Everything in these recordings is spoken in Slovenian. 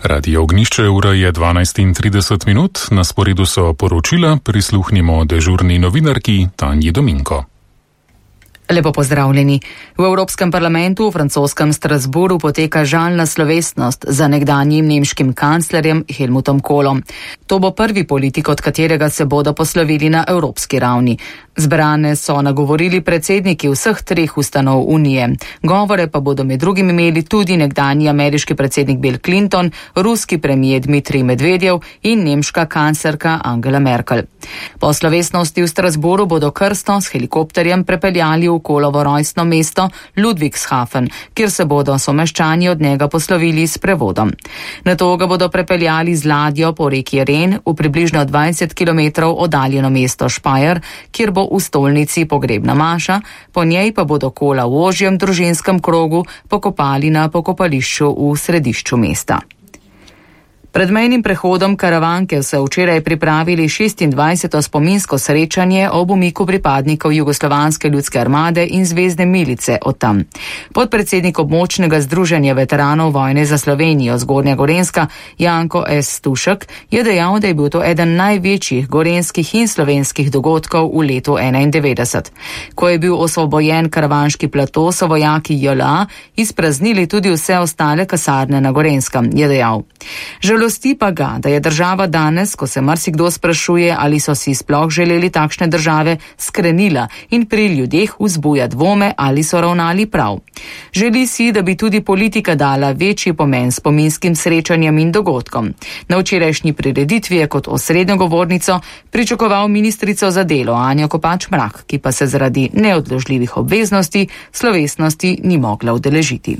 Radio Ognjišče, ura je 12:30, na sporedu so poročila, prisluhnimo dežurni novinarki Tanji Dominko. Lepo pozdravljeni. V Evropskem parlamentu v francoskem Strasbourgu poteka žalna slovesnost za nekdanjim nemškim kanclerjem Helmutom Kohlom. To bo prvi politik, od katerega se bodo poslovili na evropski ravni. Zbrane so nagovorili predsedniki vseh treh ustanov Unije. Govore pa bodo med drugim imeli tudi nekdanji ameriški predsednik Bill Clinton, ruski premijer Dmitrij Medvedjev in nemška kanclerka Angela Merkel. Po slovesnosti v Strasbourgu bodo krsto s helikopterjem prepeljali v Kohlovo rojstno mesto Ludwigshafen, kjer se bodo someščani od njega poslovili s prevodom. Nato ga bodo prepeljali z ladjo po reki Ren v približno 20 km oddaljeno mesto Speyer, kjer bo v stolnici pogrebna maša, po njej pa bodo Kohla v ožjem družinskem krogu pokopali na pokopališču v središču mesta. Pred mejnim prehodom Karavanke so včeraj pripravili 26. spominsko srečanje ob umiku pripadnikov Jugoslovanske ljudske armade in zvezne milice od tam. Podpredsednik območnega združenja veteranov vojne za Slovenijo Zgornja Gorenjska Janko S. Stušek je dejal, da je bil to eden največjih gorenjskih in slovenskih dogodkov v letu 1991. Ko je bil osvobojen Karavanški plato, so vojaki JLA izpraznili tudi vse ostale kasarne na Gorenjskem, je dejal. Žalosti pa ga, da je država danes, ko se marsikdo sprašuje, ali so si sploh želeli takšne države, skrenila in pri ljudeh vzbuja dvome, ali so ravnali prav. Želi si, da bi tudi politika dala večji pomen spominskim srečanjem in dogodkom. Na včerajšnji prireditvi je kot osrednjo govornico pričakoval ministrico za delo Anjo Kopač Mrak, ki pa se zaradi neodložljivih obveznosti slovesnosti ni mogla udeležiti.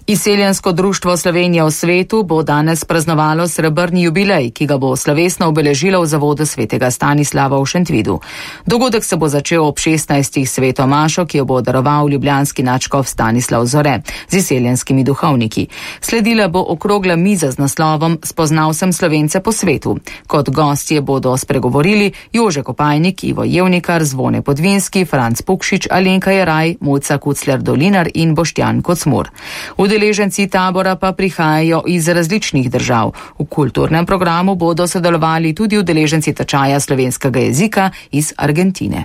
Izseljensko društvo Slovenija v svetu bo danes praznovalo srebrni jubilej, ki ga bo slovesno obeležilo v zavodu svetega Stanislava v Šentvidu. Dogodek se bo začel ob 16. sveto mašo, ki jo bo daroval ljubljanski nadškof Stanislav Zore z izseljenskimi duhovniki. Sledila bo okrogla miza z naslovom Spoznal sem Slovence po svetu. Kot gostje bodo spregovorili Jože Kopajnik, Ivo Jevnikar, Zvone Podvinski, Franc Pukšič, Alenka Jeraj, Mojca Kucler-Dolinar in Boštjan Kocmur. Udeleženci tabora pa prihajajo iz različnih držav. V kulturnem programu bodo sodelovali tudi udeleženci tečaja slovenskega jezika iz Argentine.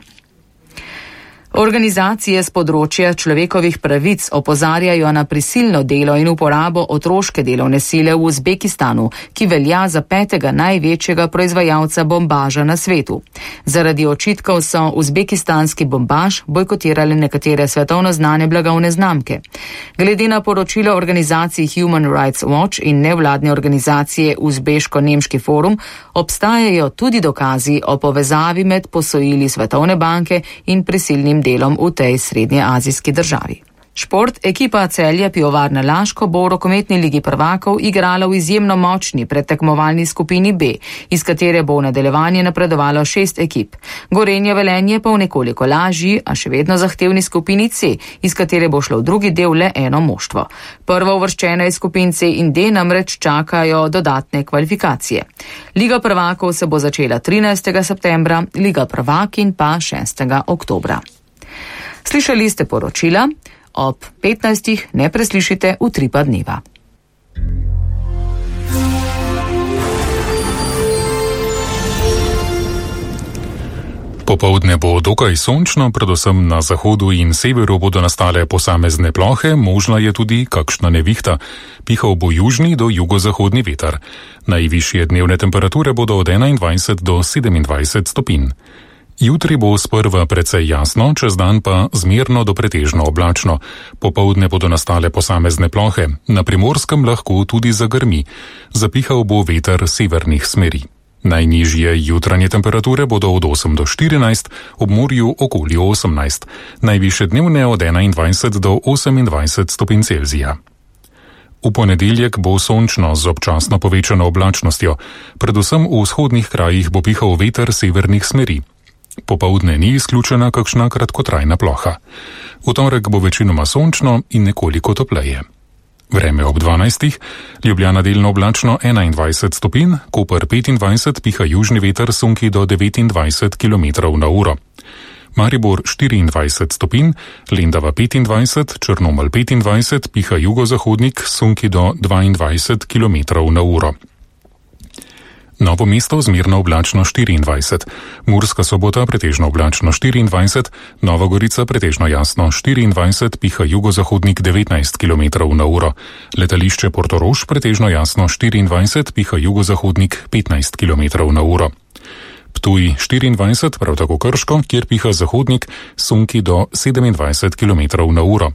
Organizacije z področja človekovih pravic opozarjajo na prisilno delo in uporabo otroške delovne sile v Uzbekistanu, ki velja za 5. največjega proizvajalca bombaža na svetu. Zaradi očitkov so uzbekistanski bombaž bojkotirali nekatere svetovno znane blagovne znamke. Glede na poročilo organizacij Human Rights Watch in nevladne organizacije Uzbeško-nemški forum, obstajajo tudi dokazi o povezavi med posojili Svetovne banke in prisilnim delom v tej srednjeazijski državi. Šport, ekipa Celja Pivovarna Laško bo v rokometni ligi prvakov igrala v izjemno močni predtekmovalni skupini B, iz katere bo v nadaljevanje napredovalo 6 ekip. Gorenje Velenje pa v nekoliko lažji, a še vedno zahtevni skupini C, iz katere bo šlo v drugi del le eno moštvo. Prvo uvrščene iz skupin C in D namreč čakajo dodatne kvalifikacije. Liga prvakov se bo začela 13. septembra, Liga prvakinj pa 6. oktobra. Slišali ste poročila, ob 15. ne preslišite Utripa dneva. Popoldne bo dokaj sončno, predvsem na zahodu in severu bodo nastale posamezne plohe, možna je tudi kakšna nevihta. Pihal bo južni do jugozahodni veter. Najvišje dnevne temperature bodo od 21 do 27 stopinj. Jutri bo sprva precej jasno, čez dan pa zmerno do pretežno oblačno. Popoldne bodo nastale posamezne plohe, na Primorskem lahko tudi zagrmi. Zapihal bo veter severnih smeri. Najnižje jutranje temperature bodo od 8 do 14, ob morju okoli 18. Najvišje dnevne od 21 do 28 stopinj Celzija. V ponedeljek bo sončno z občasno povečano oblačnostjo. Predvsem v vzhodnih krajih bo pihal veter severnih smeri. Popoldne ni izključena kakšna kratkotrajna ploha. V torek bo večinoma sončno in nekoliko topleje. Vreme ob 12. Ljubljana delno oblačno 21 stopinj, Koper 25, piha južni veter sunki do 29 km/h. Maribor 24 stopinj, Lendava 25, Črnomelj 25, piha jugozahodnik, sunki do 22 km/h. Novo mesto zmerno oblačno 24, Murska Sobota pretežno oblačno 24, Nova Gorica pretežno jasno 24, piha jugozahodnik 19 km/h. Letališče Portorož pretežno jasno 24, piha jugozahodnik 15 km/h. Ptuj 24, prav tako Krško, kjer piha zahodnik, sunki do 27 km/h.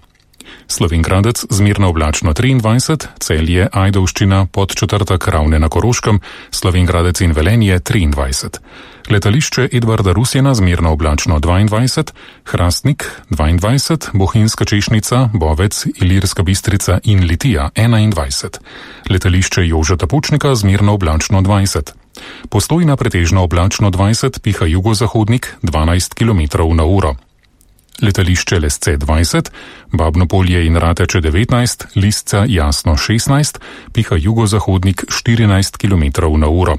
Slovenj Gradec zmerno oblačno 23, Celje, Ajdovščina, Podčetrtek, Ravne na Koroškem, Slovenj Gradec in Velenje 23. Letališče Edvarda Rusjana zmerno oblačno 22, Hrastnik 22, Bohinjska Češnica, Bovec, Ilirska Bistrica in Litija 21. Letališče Jožeta Pučnika zmerno oblačno 20. Postojna pretežno oblačno 20, piha jugozahodnik 12 km/h. Letališče Lesce 20, Babno Polje in Rateče 19, Lisca jasno 16, piha jugozahodnik 14 km/h.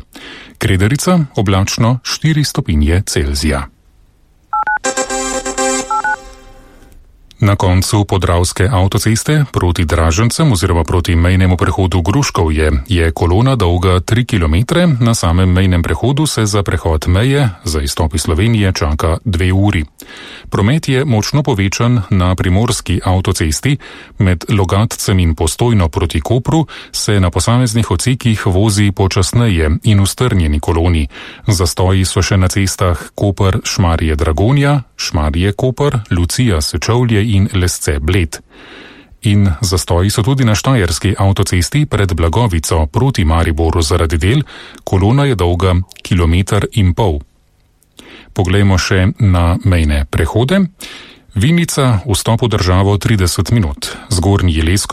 Krederica oblačno 4 stopinje Celzija. Na koncu Podravske avtoceste proti Dražencem oziroma proti mejnemu prehodu Gruškovje je kolona dolga 3 km, na samem mejnem prehodu se za prehod meje za izstop iz Slovenije čaka 2 uri. Promet je močno povečan na primorski avtocesti, med Logatcem in Postojno proti Kopru se na posameznih odsekih vozi počasneje in v strnjeni koloni. Zastoji so še na cestah Koper, Šmarje Dragonja, Šmarje Koper, Lucija Sečovlje in Lesce Bled. In zastoji so tudi na štajerski avtocesti pred Blagovico proti Mariboru zaradi del, kolona je dolga 1,5 km. Poglejmo še na mejne prehode. Vinica, vstop v državo 30 minut, Zgornji Leskovič